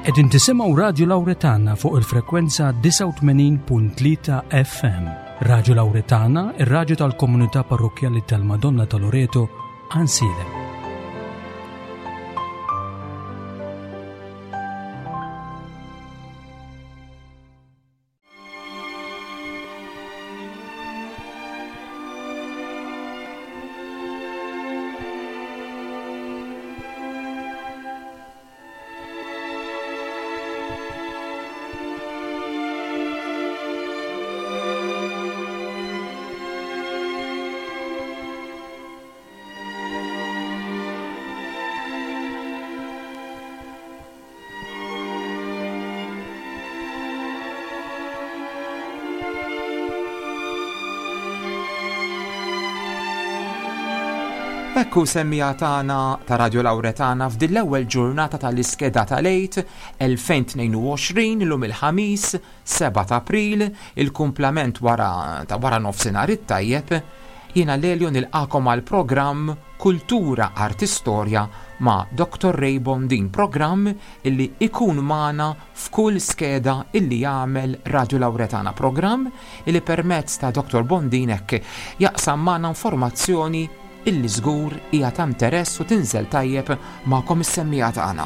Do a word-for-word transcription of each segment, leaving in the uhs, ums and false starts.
Qegħdin tisimgħu Radju Lawretana fuq il-frekwenza disgħa u tmenin punt tlieta F M. Radju Lawretana, ir-radju tal-Komunità Parrokkjali tal-Madonna ta' Loreto, Għajnsielem. Ekku, semmiegħa tagħna ta' Radio Lawretana, f'din l-ewwel ġurnata tal-iskeda tal-Għid elfejn u tnejn u għoxrin, illum il-Ħamis sebgħa ta' April, il-kumplament wara ta' wara nofsinhar it-tajjeb, jiena Lelio nilqagħkom għal programm Kultura Arti Storja ma' Doctor Ray Bondin, programm illi ikun magħna f'kull skeda illi jagħmel Radio Lawretana, programm illi permezz ta' Doctor Bondin hekk jaqsam magħna informazzjoni illi żgur hija ta' interess u tinżel tajjeb magħkom is-semmiegħa tagħna.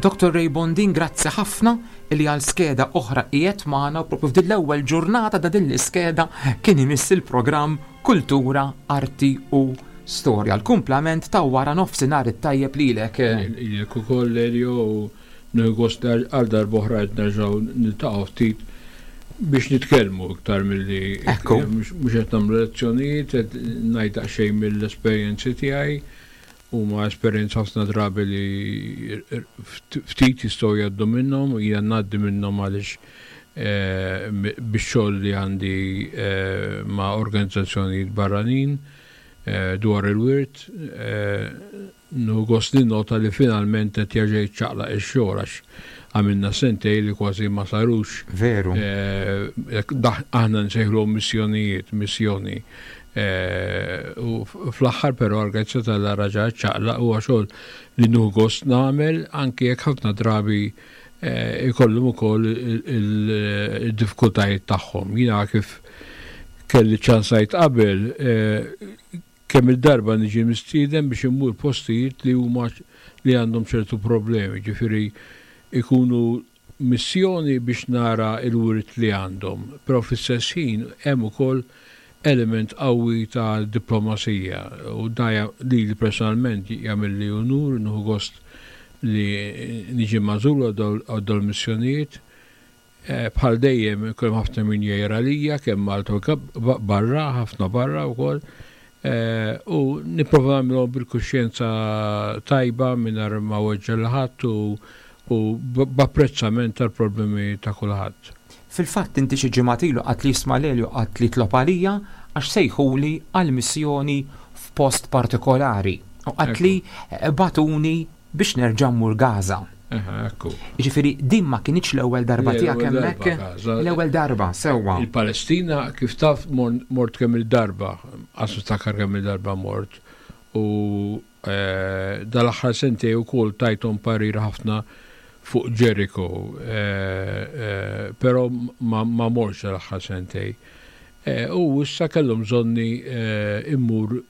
Doctor Ray Bondin, grazzi ħafna illi għal skeda oħra qiegħed magħna u propju f'din l-ewwel ġurnata ta' din l-iskeda kien imiss il-programm Kultura, Arti u Storja. L-kumplament ta' wara nofsinhar it-tajjeb lilek. Lilek ukoll, Lelio, u nieħu gost għal darb'oħra qed nerġgħu niltaqgħu ftit biex nitkellmu iktar milli Ekku. mhux qed nagħmlu lezzjonijiet, qed ngħid daqsxejn mill-esperjenzi tiegħi, huma esperjenza ħafna drabi li ftit jistgħu jgħaddu minnhom, jiena ngħaddi minnhom għaliex eh, bix-xogħol li għandi eh, ma' organizzazzjonijiet barranin eh, dwar il-wirt, nieħu gost nota li finalment qed jerġa' jiċċaqlaq ix-xogħol għax għamilna sentej li kważi ma sarux. Veru. Aħna nsejħlu missjonijiet, missjoni. U fl-aħħar però għal tal raġa ċaqlaq, huwa xogħol li nieħu gost nagħmel anki jekk ħafna drabi ikollhom ukoll il-diffikultajiet tagħhom. Jiena kif kelli ċans ngħid qabel, kemm il-darba niġi mistieden biex immur postijiet li huma li għandhom ċertu problemi, ġifieri ikunu missjoni biex nara il-wirt li għandhom, però fl-istess ħin hemm ukoll element qawwi ta' diplomazija u dan li li personalment jagħmel li unur, nieħu gost li niġi magħżul għal dawn missjonijiet. Bħal dejjem ikun ħafna min jgħir għalija, kemm Malta u barra, ħafna barra wkoll. U nipprova nagħmilhom bil-kuxjenza tajba mingħajr ma weġġa' lil ħadd u u b'apprezzament tal-problemi ta' kulħadd. Fil-fatt inti xi ġimgħat ilu għedt li isma' Lelio, għedt li tlob għalija għax sejħuli għal missjoni f'post partikolari. U għedt li bagħtuni biex nerġa' mmur Gaza. Ekku. Ġifieri din ma kinitx l-ewwel darba tiegħek hemmhekk? L-ewwel darba, sewwa. Il-Palestina, kif taf, mort kemm il-darba, għax niftakar kemm il-darba mort, u dal-aħħar sentej ukoll tajthom parir ħafna fuq Jericho, però ma mortx l-aħħar sentej. U issa kellhom bżonni immur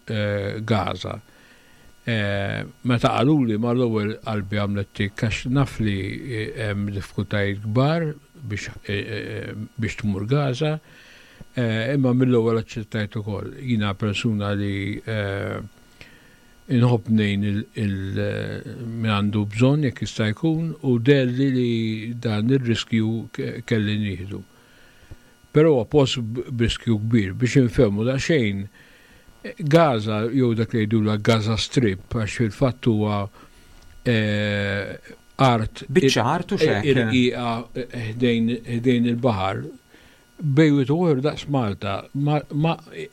Gaza. Meta qaluli, mal-ewwel qalbi għamlet tik għax naf li hemm diffikultajiet kbar biex tmur Gaza, imma mill-ewwel aċċettajt ukoll. Jiena persuna li inħobb ngħin min għandu bżonn jekk jista' jkun u deherli li dan ir-riskju kelli nieħdu. Però huwa post b'riskju kbir. Biex infehmu daqsxejn, Gaza jew dak li jgħidulha Gaza Strip, għax fil-fatt huwa art Biċċa art u xek. Irqiqa ħdejn il-baħar, bejn u daqs Malta, ma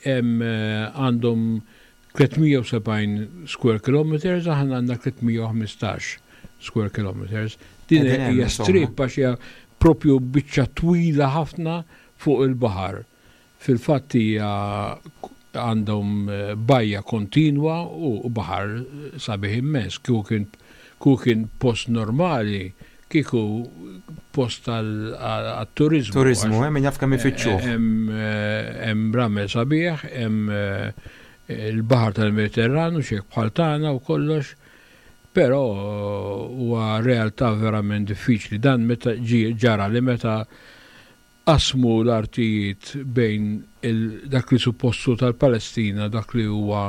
għandhom tliet mija u sebgħin square kilometers, aħna għandna tliet mija u ħmistax square kilometers. Din hija strip għax hija propju biċċa twila ħafna fuq il-baħar. Fil-fatt hija għandhom bajja kontinwa u baħar sabiħ immens. Kieku kien kieku kien post normali, kieku post għal-turizmu. Turizmu, hemm min jaf kemm ifittxuh. Hemm ramel sabiħ, hemm il-baħar tal-Mediterranu, xek bħal tagħna u kollox, però huwa realtà verament diffiċli. Dan meta ġi ġara li meta qasmu l-artijiet bejn dak li suppostu tal-Palestina, dak li huwa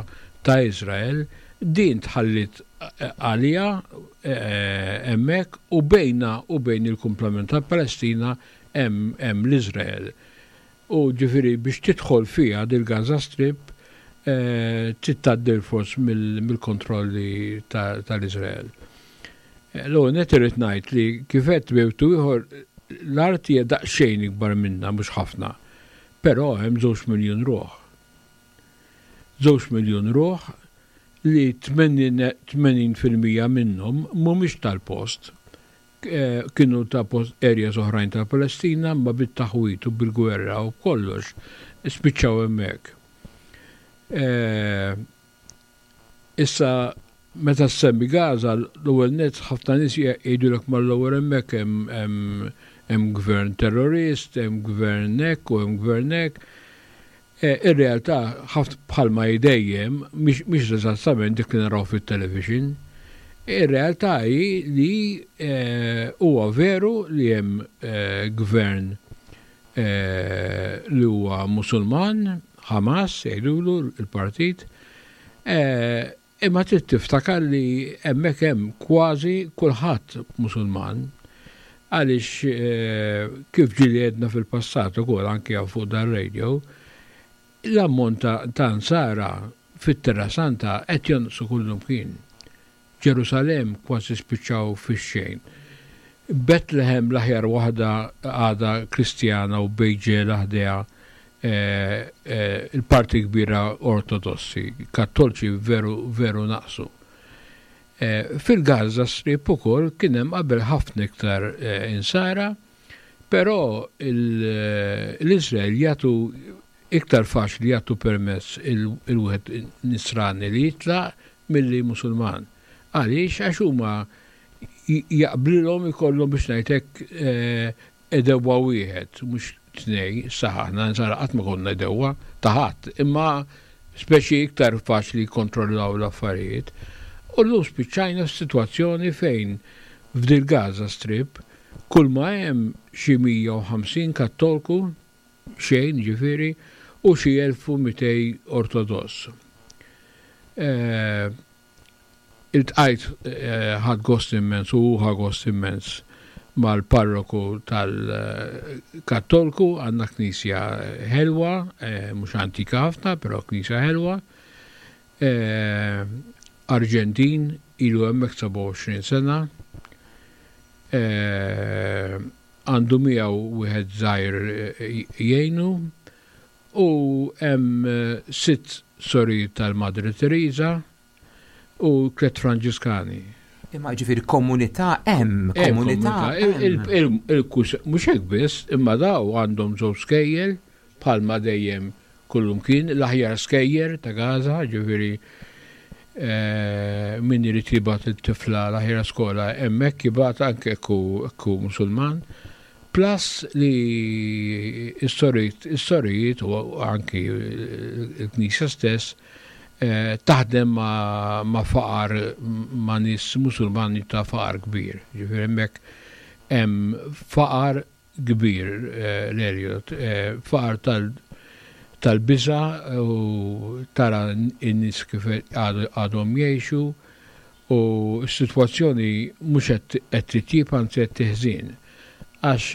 ta' Izrael, din tħallit għalija hemmhekk u bejna u bejn il-kumplament tal-Palestina hemm l-Izrael. U ġifieri biex tidħol fiha dil-Gaza Strip trid tgħaddi fors mill-kontrolli tal-Izrael. L-ewwel nett irrid ngħid li kif qed bejtu ieħor l-art hija daqsxejn ikbar minna, mhux ħafna, però hemm żewġ miljun ruħ. Żewġ miljun ruħ li tmenin fil-mija minnhom mhumiex tal-post. Kienu ta' post areas oħrajn tal-Palestina, ma bit-taħwit u bil-gwerra u kollox spiċċaw hemmhekk. Issa meta ssemmi Gaza, l-ewwel nett ħafna nies jgħidulek mal-ewwel hemmhekk hemm gvern terrorist, hemm gvern hekk u hemm gvern hekk. Ir-realtà ħafna bħalma dejjem mhix eżattament dik li naraw fit-television. Ir-realtà hi li huwa veru li hemm gvern li huwa Musulman, Hamas jgħidulu il-partit, imma trid tiftakar li hemmhekk hemm kważi kulħadd Musulman, għaliex kif ġieli għedna fil-passat ukoll anke fuq dar-radio, l-ammont ta' nsara fit-Terra Santa qed jonqsu kullumkien. Ġerusalem kważi spiċċaw fix-xejn. Bethlehem l-aħjar waħda għadha Kristjana u Bejġel ħdejha il-parti kbira ortodossi, kattolċi veru veru naqsu. Fil-Gaza Strip ukoll kien hemm qabel ħafna iktar insara, però l-Iżrael jagħtu iktar faċli jagħtu permess il-wieħed nisrani li jitlaq milli Musulman. Għaliex? Għax huma jaqblilhom ikollhom biex ngħidlek edewwa wieħed, mhux tnej, saħħna nsara qatt ma konna edewwa ta' ħadd, imma speċi iktar faċli jikkontrollaw l-affarijiet. U llum spiċċajna f'sitwazzjoni fejn f'dil Gaza Strip kull ma hemm xi mija u ħamsin kattolku, xejn ġifieri, u xi elf u mitej ortodoss. Iltqajt ħadd gost immens u ħa gost immens mal-parroku tal-Kattolku, għandna knisja ħelwa, mhux antika ħafna, però knisja ħelwa. Arġentin, ilu hemmhekk seba' u għoxrin sena. Għandu miegħu wieħed żgħir jgħinu, u hemm sitt sorijiet tal-Madre Teresa u tliet Franġiskani. Imma ġifieri komunità hemm, komunità hemm. Mhux hekk biss, imma daw għandhom żewġ skejjel bħalma dejjem kullumkien, l-aħjar skejjer ta' Gaza, ġifieri min irid jibgħat it-tifla l-aħjar skola hemmhekk jibgħat anke jekk hu Musulman. Plus li s-sorijiet u anki l-Knisja stess taħdem ma' faqar, ma' nies Musulmani ta' faqar kbir. Ġifieri hemmhekk hemm faqar kbir, l-Elliot, faqar tal-biża' u tara n-nies kif għadhom jgħixu, u s-sitwazzjoni mhux qed titjib, anzi qed tiħżien. Għax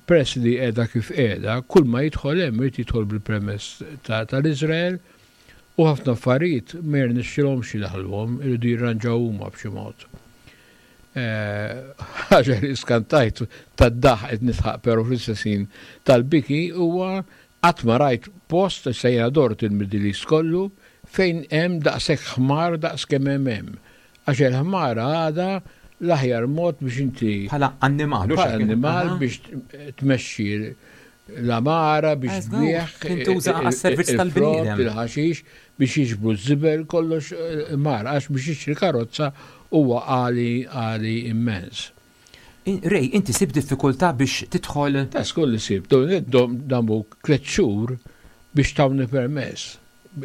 peress li qiegħda kif qiegħda, kull ma jidħol hemm irid jidħol bil-permess tal-Iżrael, u ħafna affarijiet ma jirnexxilhomx jidaħluhom, iridu jirranġaw huma b'xi mod. Ħaġa li skantajt tad-daħ qed nitħaq però fl-istess ħin tal-biki huwa qatt ma rajt post, issa jiena dort il-Middle East kollu, fejn hemm daqshekk ħmar daqs kemm hemm hemm. Għax il-ħmara għadha l-aħjar mod biex inti Bħala annimal, bħala annimal biex tmexxi L-għamara biex tbigħ. Tintuża għas-servizz tal-bniedem. Il-ħaxix biex jiġbru ż-żibel, kollox mar, għax biex jixtri karozza huwa għali għali immens. Ray, inti sib diffikultà biex tidħol? Ta' skolli sib, damu tliet xhur biex tawni permess.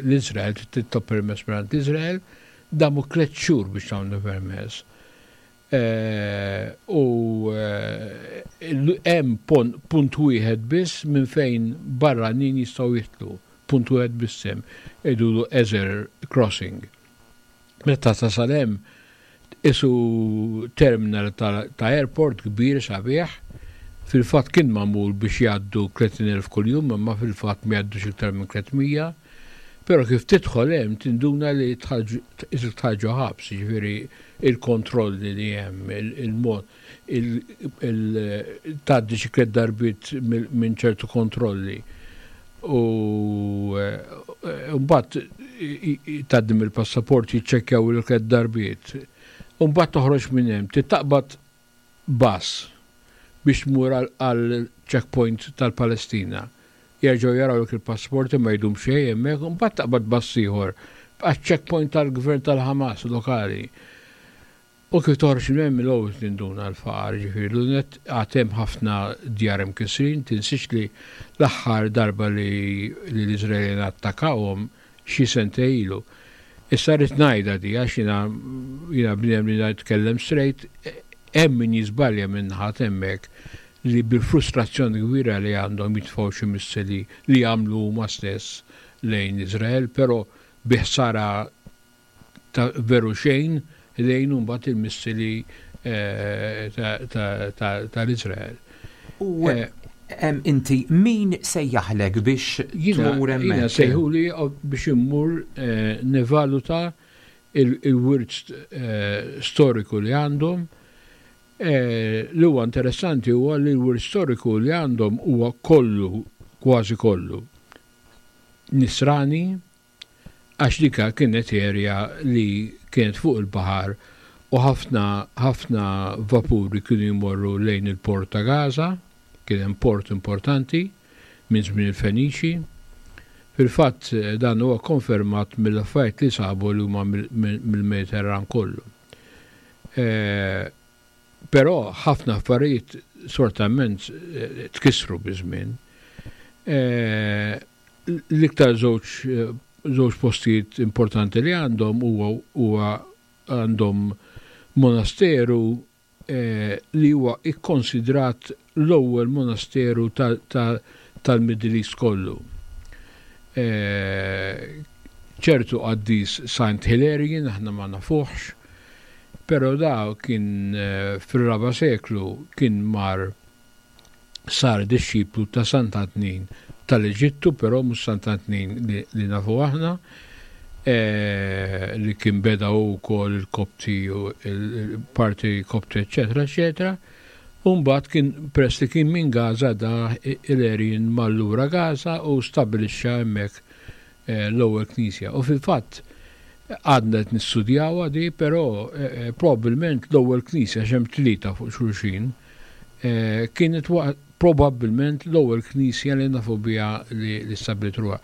L-Izrael, titlob permess mingħand l-Izrael, damu tliet xhur biex tawni permess. U hemm punt wieħed biss minn fejn barranin jistgħu jidħlu, punt wieħed biss hemm, jgħidulu Ezer Crossing. Meta tasal hemm, isu terminal ta' airport kbir sabiħ, fil-fatt kien magħmul biex jgħaddu tletin elf kuljum, imma fil-fatt ma jgħaddux iktar minn tliet mija. Però kif tidħol hemm tinduna li isek tħarġu ħabs, jiġifieri il-kontrolli li hemm, il-mod, tgħaddi xi tliet darbiet minn ċertu kontrolli. U mbagħad tgħaddi mill-passaport, jiċċekkjaw il tliet darbiet. U mbagħad toħroġ minn hemm, titaqbad bus biex tmur għal checkpoint tal-Palestina. Jerġgħu jaraw il-passaporti, ma jdum xejn hemmhekk, u mbagħad taqbad bus ieħor għaċ-checkpoint tal-gvern tal-Hamas lokali. U kif toħroġ minn hemm, l-ewwel tinduna l-faqar, ġifieri l-unet għad hemm ħafna djar imkissrin. Tinsiex li l-aħħar darba li l-Iżraelin attakawhom xi sentejn ilu. Issa rrid ngħidha di għax jiena jiena bniedem li nitkellem straight, hemm min jiżbalja minn ħadd hemmhekk li bil-frustrazzjoni kbira li għandhom jitfgħu xi missili li jagħmlu huma stess lejn Iżrael, però bi ħsara ta' veru xejn lejn mbagħad il-missili tal-Iżrael. U inti min sejjaħlek biex tmur hemmhekk? Jiena sejħuli biex immur nevaluta il-wirt storiku li għandhom. Li huwa interessanti huwa li l-wirt storiku li għandhom huwa kollu, kważi kollu, nisrani, għax dika kienet area li kienet fuq il-baħar u ħafna ħafna vapuri kienu jmorru lejn il-port ta' Gaza, kien hemm port importanti minn żmien il-Feniċi. Fil-fatt dan huwa konfermat mill-affarijiet li sabu li huma mill-Mediterran kollu. Però ħafna affarijiet sortament tkissru biż-żmien. L-iktar żewġ żewġ postijiet importanti li għandhom huwa għandhom monasteru li huwa ikkonsidrat l-ewwel monasteru tal-Middle East kollu. Ċertu qaddis Saint Hilarion, aħna ma nafuħx, però da kien fir-raba' seklu kien mar sar dixxiplu ta' Sant'Antnin tal-Eġittu, però mhux Sant'Antnin li nafu aħna, li kien beda wkoll il-Kopti u il-parti Kopti, eċetera, eċetera. U mbagħad kien peress li kien minn Gaza, da Hilarion mar lura Gaza u stabilixxa hemmhekk l-ewwel knisja. U fil-fatt għadna qed nistudjawha di, però probabbilment l-ewwel knisja, x'hemm tlieta fuq xulxin, kienet probabbilment l-ewwel knisja li nafu biha li stabbiliet ruħha.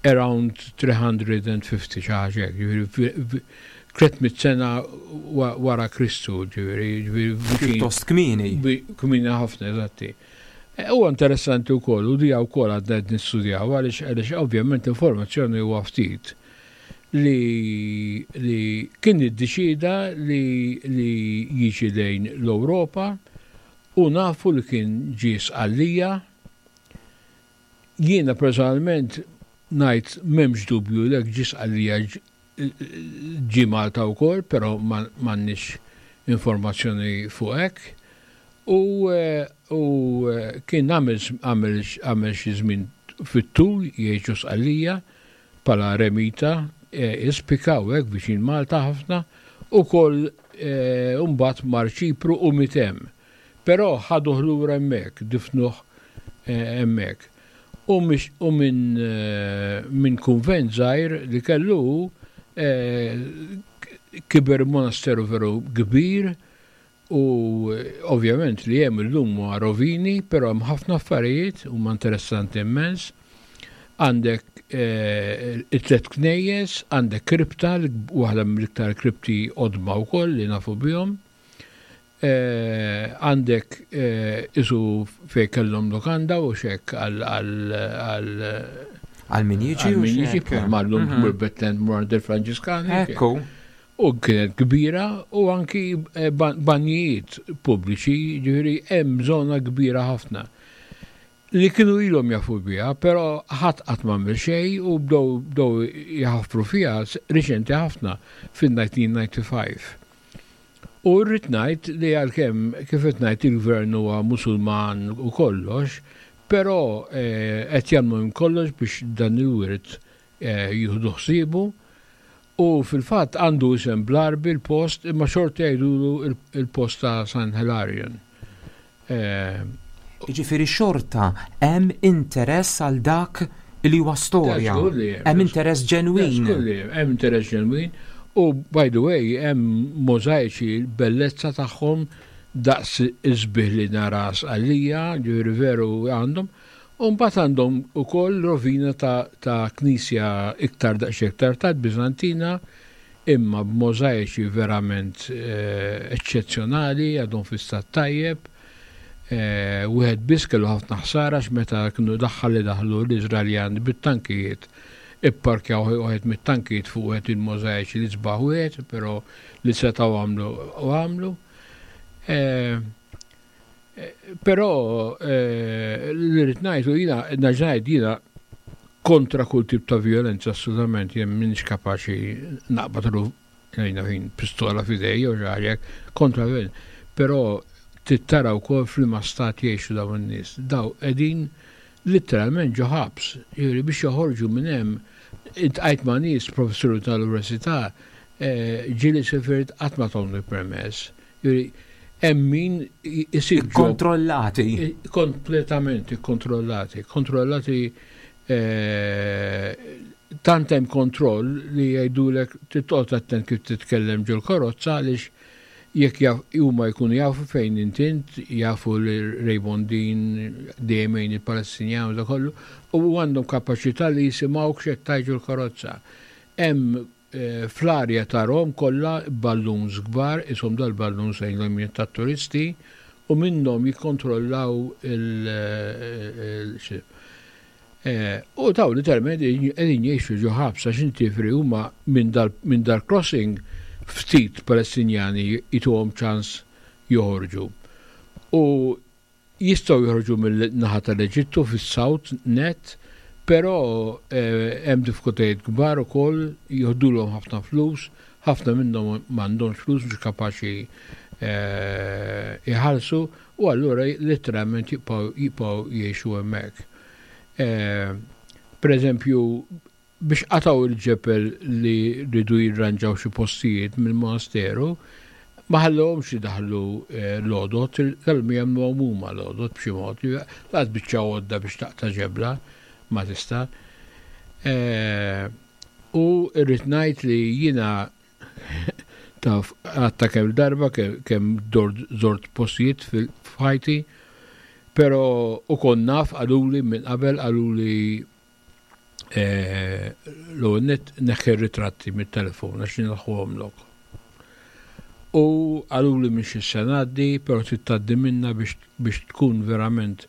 Around three hundred and fifty, xi ħaġa hekk, ġifieri tliet mitt sena wara Kristu, ġifieri. Pjuttost kmieni. Kmieni ħafna, eżatti. Huwa interessanti wkoll, u dija wkoll għadna qed nistudjaw, għaliex għaliex ovvjament informazzjoni huwa ftit, li li kien iddeċida li li jiġi lejn l-Ewropa u nafu li kien ġie Sqallija. Jiena personalment ngħid m'hemmx dubju li ġie Sqallija, ġie Malta wkoll, però m'għandniex informazzjoni fuq hekk. U, u kien għamel għamel xi żmien fit-tul jgħixu Sqallija bħala remita, ispika u hekk viċin Malta ħafna, u koll mbagħad mar Ċipru u miet hemm. Però ħaduh lura hemmhekk, difnuh hemmhekk. U minn min kunvent żgħir li kellu kiber monasteru veru kbir. U ovvjament li hemm illum huwa rovini, però hemm ħafna affarijiet huma interessanti immens. Għandek eh, it-tlet knejjes, għandek kripta, waħda mill-iktar kripti qodma wkoll li nafu bihom. Eh, għandek eh, isu fej kellhom lokanda u xek għal għal għal min jiġi għal min jiġi bħal llum tmur Betlehem tmur għand il-Franġiskani. Ekku. U kienet kbira u anki eh, banjijiet pubbliċi, ġifieri hemm żona kbira ħafna. Li kienu ilhom jafu biha, però ħadd qatt m'għamel xejn u bdew bdew jaħfru fiha riċenti ħafna fil-elf disa' mija u disgħa u disgħin. U rrid ngħid li għalkemm kif qed ngħid il-gvern huwa Musulman u kollox, però eh, qed jagħmlu minn kollox biex dan il-wirt eh, jieħdu ħsiebu u fil-fatt għandu isem bl-Għarbi l-post imma xorta jgħidulu il-post ta' San Hilarion. Eh, Jiġifieri xorta hemm interess għal dak li huwa storja. Hemm interess ġenwin. Hemm interess ġenwin. U by the way, hemm możajċi bellezza tagħhom daqs isbieħ li nara għalija, ġifieri veru għandhom. U mbagħad għandhom ukoll rovina ta', ta knisja iktar daqs iktar tard Bizantina, imma b'możajċi verament eh, eċċezzjonali, għadhom fi stat tajjeb. Eh, wieħed biss kellu ħafna ħsara meta kienu daħħal li daħlu l-Iżraeljan bit-tankijiet ipparkjaw wieħed mit-tankijiet fuq wieħed il-możajċi li sbaħ wieħed, però li setgħu għamlu u għamlu. Eh, eh, però li rrid ngħidu jiena ngħid jiena kontra kull tip ta' violenza assolutament jien m'iniex kapaċi naqbad jiena fin pistola f'idej jew xi kontra violenza. Però tittara wkoll f'liema stat jgħixu dawn in-nies. Daw qegħdin literalment ġo ħabs, jiġifieri biex joħorġu minn hemm iltqajt ma' nies professuri tal-università eh, ġieli sifirt qatt ma tawni permess. Jiġifieri hemm min isib kontrollati. Kompletament kontrollati, kontrollati eh, tant hemm kontroll li jgħidulek titqgħod attent kif titkellem ġol karozza għaliex jekk huma jkunu jafu fejn intint, jafu li Raymond Dean dejjem il-Palestinjan u da kollu, u għandhom kapaċità li jisimgħu x'qed tgħid ġol-karozza. Hemm eh, fl-arja tarahom kollha balloons kbar, isom dal-balloons lejn tat-turisti, u minnhom jikkontrollaw il- eh, U daw literalment qegħdin jgħixu ġo ħabs għax inti huma minn dal-crossing ftit Palestinjani jituhom ċans joħorġu. U jistgħu joħorġu mill-naħa tal-Eġittu fis-South net, però eh, hemm diffikultajiet kbar ukoll, joħdulhom ħafna flus, ħafna minnhom m'għandhomx flus mhux kapaċi eh, jħallsu u allura letteralment jibqgħu jgħixu hemmhekk. Eh, per eżempju, biex qataw il-ġebel li ridu jirranġaw xi postijiet mill-monasteru, ma ħallhomx idaħlu eh, l-għodod, kellhom jagħmlu huma l-għodod b'xi mod, laqas biċċa għodda biex taqta' ġebla ma tista'. Eh, u rrid ngħid li jiena taf għatta kemm darba kemm żort postijiet fil-ħajti, pero u kon naf qaluli minn qabel qaluli eh, l-għonet neħħi ritratti mit-telefon għax lok. U qaluli minn xi ngħaddi, pero tgħaddi minna biex tkun verament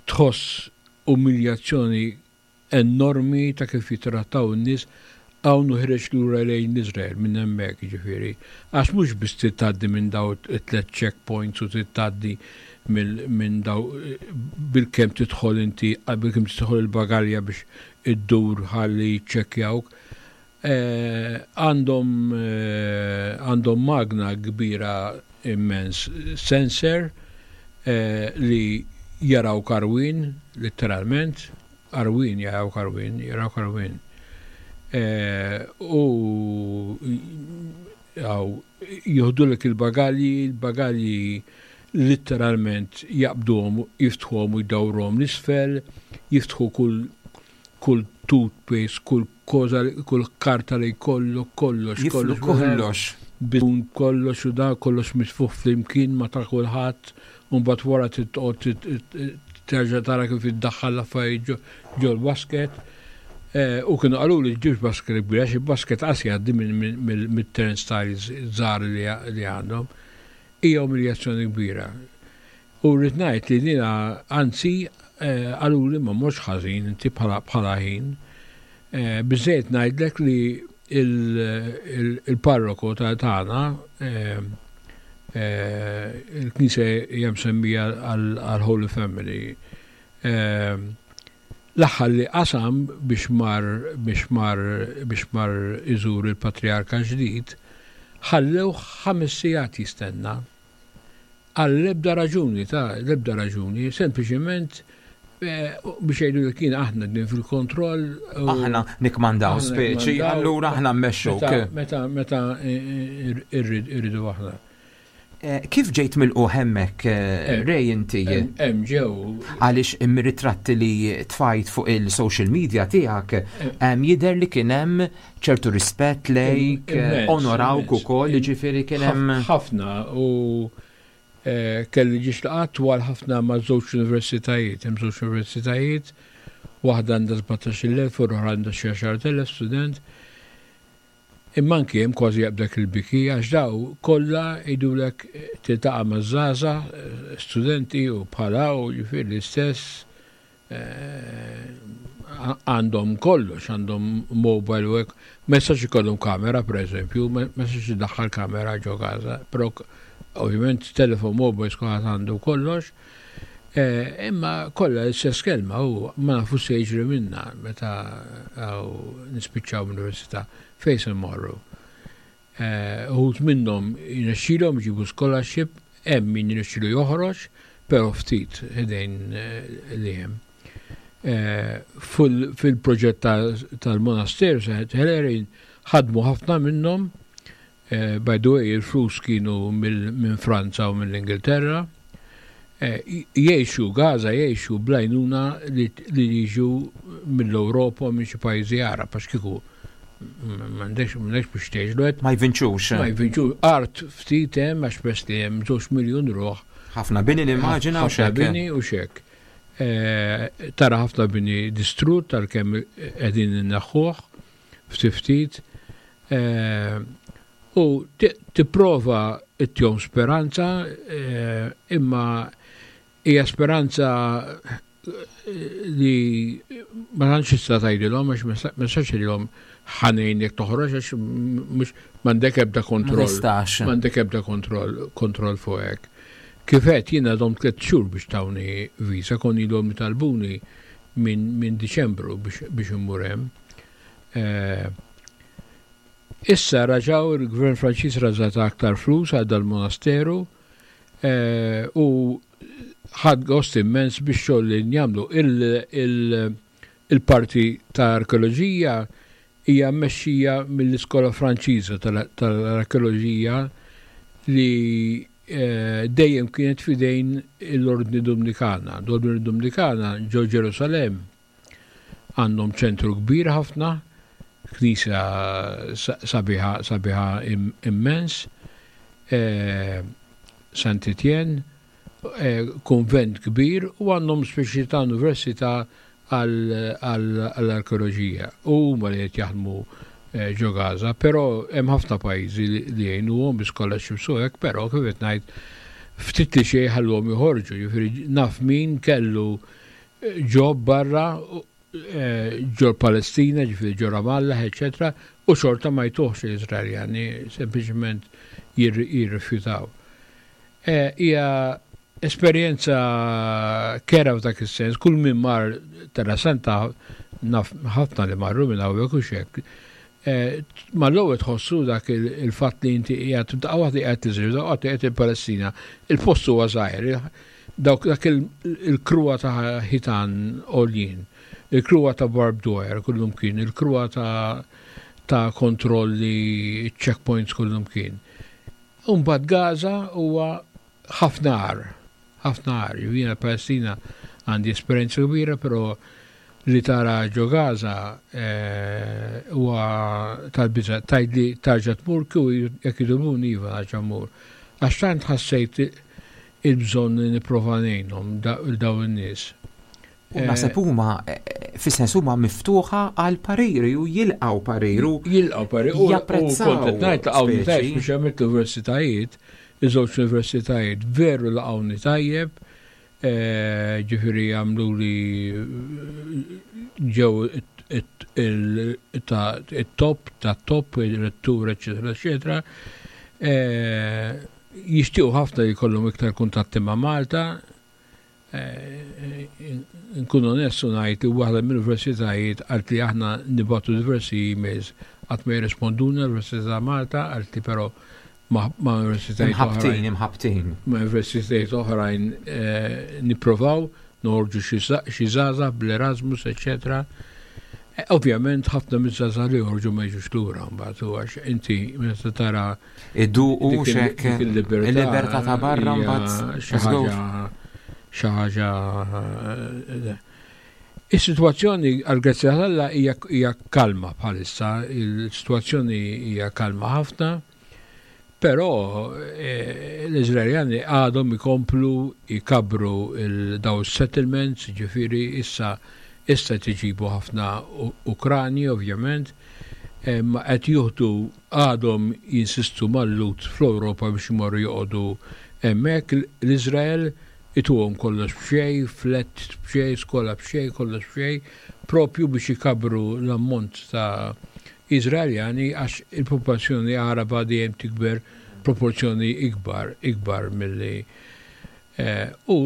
tħoss umiljazzjoni enormi ta' kif jitrattaw in-nies hawn uħreġ lura lejn Izrael minn hemmhekk ġifieri. Għax mhux biss tgħaddi minn daw it-tliet checkpoints u tgħaddi minn daw bil-kemm tidħol inti bil-kemm tidħol il-bagalja biex iddur ħalli ċċekkjawk. Eh, għandhom eh, għandhom magna kbira immens sensor eh, li jaraw karwin, letteralment, arwin jaraw karwin, jaraw karwin. U għaw, joħdulek il-bagalji, il-bagalji letteralment jaqbduhom, jiftħuhom u jdawruhom l-isfel, jiftħu kull kull toothpaste, kull koza, kull karta li kollu, kollox, kollox. Kollox. Bidun kollox u da kollox mitfuħ flimkien ma ta' kulħadd, u mbagħad wara titqgħod terġa' tara kif iddaħħal l-affarijiet ġol-basket. U kienu qalu li ġibx basket kbir, għax il-basket qas jgħaddi mit-turnstiles żgħar li għandhom. Hija umiljazzjoni kbira. U rrid ngħid li dina, anzi, qalu li ma mhux ħażin inti bħala ħin. Biżejjed ngħidlek li il-parroku tagħna, il-knisja hija msemmija għal Holy Family. L-aħħar li qasam biex mar biex mar biex mar iżur il-patriarka ġdid, ħallew ħames sigħat jistenna. Għal l-ebda raġuni, ta' l-ebda raġuni, sempliċement biex jgħidu li kien aħna din fil-kontroll. Aħna nikmandaw speċi, allura aħna mmexxuk. Meta meta irridu aħna. Kif ġejt milqugħ hemmhekk, Ray, inti? Hemm ġew. Għaliex ir-ritratti li tfajt fuq il-social media tiegħek jidher li kien hemm ċertu rispett lejk, onorawk ukoll, jiġifieri kien hemm. Ħafna, u kelli ġiex laqgħat twal ħafna ma' żewġ universitajiet, hemm żewġ universitajiet, waħda għandha sbatax-il elf u l-oħra għandha xi għaxart elef student. Imma anki hemm kważi jaqbdek il-biki għax daw kollha jgħidulek, tiltaqa' ma' żgħażagħ studenti u bħala u jiġifieri l-istess, għandhom kollox, għandhom mobile u hekk, ma jistax ikollhom kamera pereżempju, ma jistax iddaħħal kamera ġo Gaza, però ovvjament telefon mobile kulħadd għandu kollox. Imma kollha l-istess kelma u ma nafu se jiġri minna meta nispiċċaw l-università, fejn se mmorru. Uħud minnhom jirnexxilhom jġibu scholarship, hemm min jirnexxilu joħroġ, però ftit ħdejn li hemm. Fil-proġett tal-monasteru Saint Hilarion ħadmu ħafna minnhom, by the way, il-flus kienu minn Franza u mill-Ingilterra. Jgħixu Gaza, jgħixu bl-għajnuna li jiġu mill-Ewropa, minn xi pajjiżi Għarab, għax kieku m'għandekx biex tgħixlu. Ma jvinċux. Ma jvinċux. Art ftit hemm għax pers li hemm żewġ miljun ruħ. Ħafna bini nimmaġina u xek. Bini u xek. Tara ħafna bini distrut tal-kemm qegħdin inneħħuh ftit ftit. U tipprova ittihom speranza, imma hija speranza li ma tantx tista' tgħidilhom, għax ma tistax tgħidilhom ħa ngħinek toħroġ, għax mhux m'għandek ebda kontroll. M'għandek ebda kontroll kontroll fuq hekk. Kif qed jiena dom tliet xhur biex tawni visa, kon ilhom talbuni minn min Diċembru biex, biex immur hemm. Issa raġaw il-Gvern Franċiż raġa' ta aktar flus għal dal-monasteru u ħadt gost immens biex xogħol li jagħmlu. Il-parti ta' arkeoloġija hija mmexxija mill-Iskola Franċiża tal-Arkeoloġija li dejjem kienet fidejn l-Ordni Dominikana. L-Ordni Dominikana ġo Ġerusalem għandhom ċentru kbir ħafna, knisja sabiħa sabiħa immens, Saint Etienne, konvent kbir, u għandhom speċi ta' università għall-arkeoloġija. U huma li qed jaħdmu ġo Gaza, però hemm ħafna pajjiżi li jgħinuhom bi scholarships u hekk, però kif qed ngħid, ftit li xejn ħalluhom joħorġu, jiġifieri naf min kellu job barra ġo Palestina, ġifieri ġo Ramallah, eċetera, u xorta ma jtuhx l-Izraeljani, sempliċement jirrifjutaw. Hija esperjenza kerha f'dak is-sens, kull min mar Terra Santa, naf ħafna li marru minn hawnhekk u xek. Ma l-ewwel tħossu dak il-fatt li inti qiegħed daqqa waħda qiegħed Iżrael, daqqa waħda qiegħed il-Palestina. Il-post huwa żgħir, dawk dak il-kruha ta' ħitan għoljin, il-kruha ta' barbed wire kullum kien, il-kruha ta' ta' kontrolli, checkpoints kullum kien. Umbagħad Gaza huwa ħafna agħar, ħafna agħar. Jiena Palestina għandi esperjenza kbira, però Li tara ġo Gaza eh, huwa tal-biża'. Tgħidli tarġa' tmur kieku jekk jitolbuni, iva, nerġa' mmur. Għax tant ħassejt il-bżonn li nipprova ngħinhom dawn in-nies. U naħseb huma eh, fis-sens huma miftuħa għal pariri u jilqgħu pariru. Jilqgħu pariri u japprezzaw. Kont qed ngħid laqgħuni speċi. Tajjeb biex għamilt l-universitajiet, iż-żewġ universitajiet veru laqgħuni tajjeb, eh, ġifieri għamlu li ġew it-top ta' top, il-rettur, eccetera, eccetera. Eh, Jixtiequ ħafna li jkollhom iktar kuntatti ma' Malta. Eh, Nkun onest u ngħid li waħda mill-universitajiet qalt li aħna nibagħtu diversi emails, qatt ma jirrisponduna l-Università ta' Malta, qalt li però ma' ma' universitajiet Imħabtin, oħrajn imħabtin. Ma' universitajiet oħrajn eh, nipprovaw noħorġu xi za- xi żgħażagħ bl-Erasmus, eccetera. Eh, Ovvjament ħafna miż-żgħażagħ li joħorġu ma jiġux lura mbagħad u għax inti meta tara Iduqu dik il- xek dik il-libertà il-libertà ta' barra hija mbagħad xi ħaġa xi ħaġa eh, Is-sitwazzjoni għal grazzja Alla hija hija kalma bħalissa, il-sitwazzjoni hija kalma ħafna, però eh, l-Iżraeljani għadhom ikomplu jkabru il- daw settlements, ġifieri issa issa tiġibu ħafna U- Ukrani ovvjament, eh, ma qed juħdu għadhom jinsistu mal-Lhud fl-Ewropa biex imorru joqogħdu hemmhekk. L-Iżrael ituhom kollox b'xejn, flat b'xejn, skola b'xejn, kollox b'xejn, propju biex ikabru l-ammont ta' Iżraeljani għax il-popolazzjoni Araba dejjem tikber proporzjoni ikbar, ikbar milli eh, u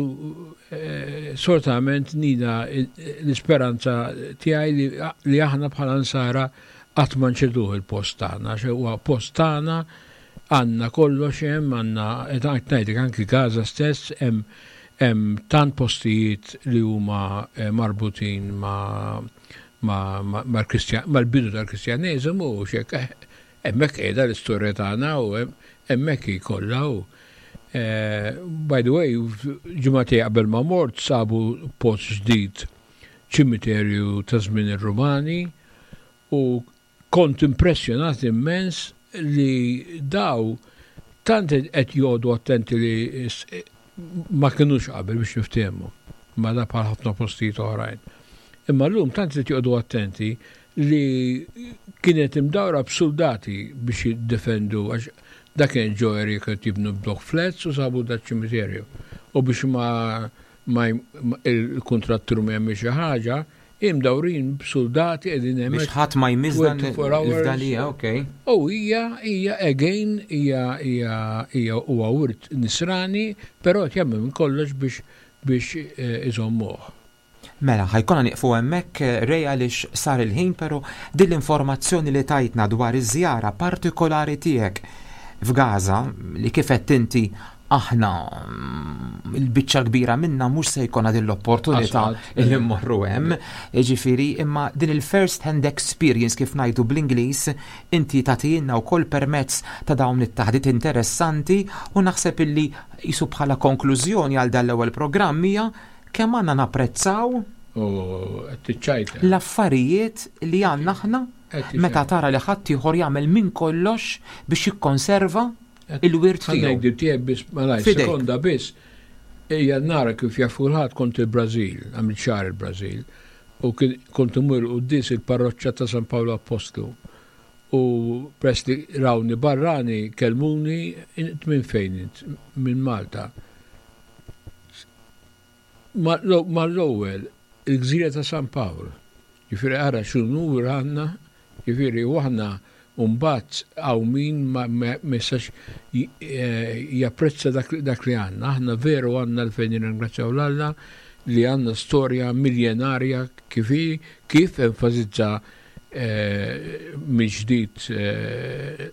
eh, sortament nina l-isperanza tiegħi li, li aħna bħala nsara qatt ma nċeduh il-post tagħna, għax huwa post tagħna, għandna kollox hemm, għandna qed ngħidlek anki Gaza stess hemm hemm tant postijiet li huma eh, marbutin ma' ma' ma' mal-Kristjan mal-bidu tal-Kristjaneżmu u xek eh, hemmhekk qiegħda l-istorja tagħna u hemm- hemmhekk hi kollha u eh, by the way, ġimagħtejn qabel ma mort sabu post ġdid, ċimiterju ta' żmien ir-Rumani, u kont impressjonat immens li daw tant qed joqogħdu attenti li s- ma kinux qabel biex niftehmu, ma da bħal ħafna postijiet oħrajn. Imma llum tant qed joqogħdu attenti li kienet imdawra b'soldati biex jiddefendu għax dak kien ġo area kienu jibnu block flats u sabu da ċimiterju. U biex ma, ma, ma il-kontrattur ma jagħmel xi ħaġa, imdawrin b'soldati qegħdin hemmhekk. Biex ħadd ma jmiss dan twenty-four hours. il-fdalija, okej. U hija hija again hija hija hija huwa wirt nisrani, però qed jagħmel minn kollox biex biex eh, iżommuh. Mela, ħa jkollna nieqfu hemmhekk, eh, Ray, għaliex sar il-ħin, però din l-informazzjoni li tajtna dwar iż-żjara partikolari tiegħek f'Gaza, li kif qed inti aħna mm, il-biċċa kbira minna mhux se jkollna din l-opportunità Asfalt. li mmorru hemm. Ġifieri, imma din il-first hand experience, kif ngħidu bl-Ingliż, inti tagħtina wkoll permezz ta' dawn it-taħdit interessanti, u naħseb illi jisu bħala konklużjoni għal dan l-ewwel programm hija kemm għandna napprezzaw U qed tiċċajta. l-affarijiet li għandna aħna Qed meta tara li ħadd ieħor jagħmel minn kollox biex jikkonserva il-wirt Ħa tiegħu. ngħidu tiegħek biss malaj, Fidejk. sekonda biss. Ejja nara kif jaf kulħadd, kont il-Brażil, għamilt xahar il-Brażil, u kien kont imur quddies il-parroċċa ta' San Paolo Apostlu. U press li rawni barrani kelmuni, "Int minn fejn int?" "Minn Malta." Ma l-ewwel il-gżira ta' San Pawl. Ġifieri ara x'unur għandna, ġifieri u aħna mbagħad hawn min ma ma jistax japprezza dak dak li għandna. Aħna veru għandna l-fejn nirringrazzjaw 'l Alla li għandna storja miljenarja kif hi, kif enfasizza eh, mill-ġdid eh,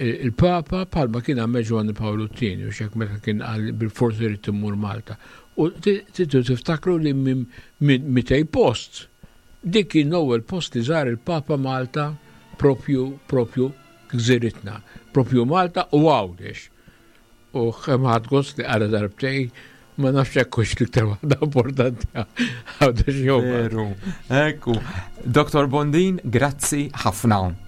il-Papa palma kien għamel Ġwanni Pawlu t-tieni, u xek meta kien qal bil-forsi rrid immur Malta. U tridu tiftakru li minn mitej post, dik kien l-ewwel post li żar il-Papa Malta, propju propju gżiritna, propju Malta u Għawdex. U kemm ħadt gost li qara darbtejn Ma nafx hekk hux l-iktar waħda importanti Għawdex jew Veru. Ekku. Dottor Bondin, grazzi ħafna.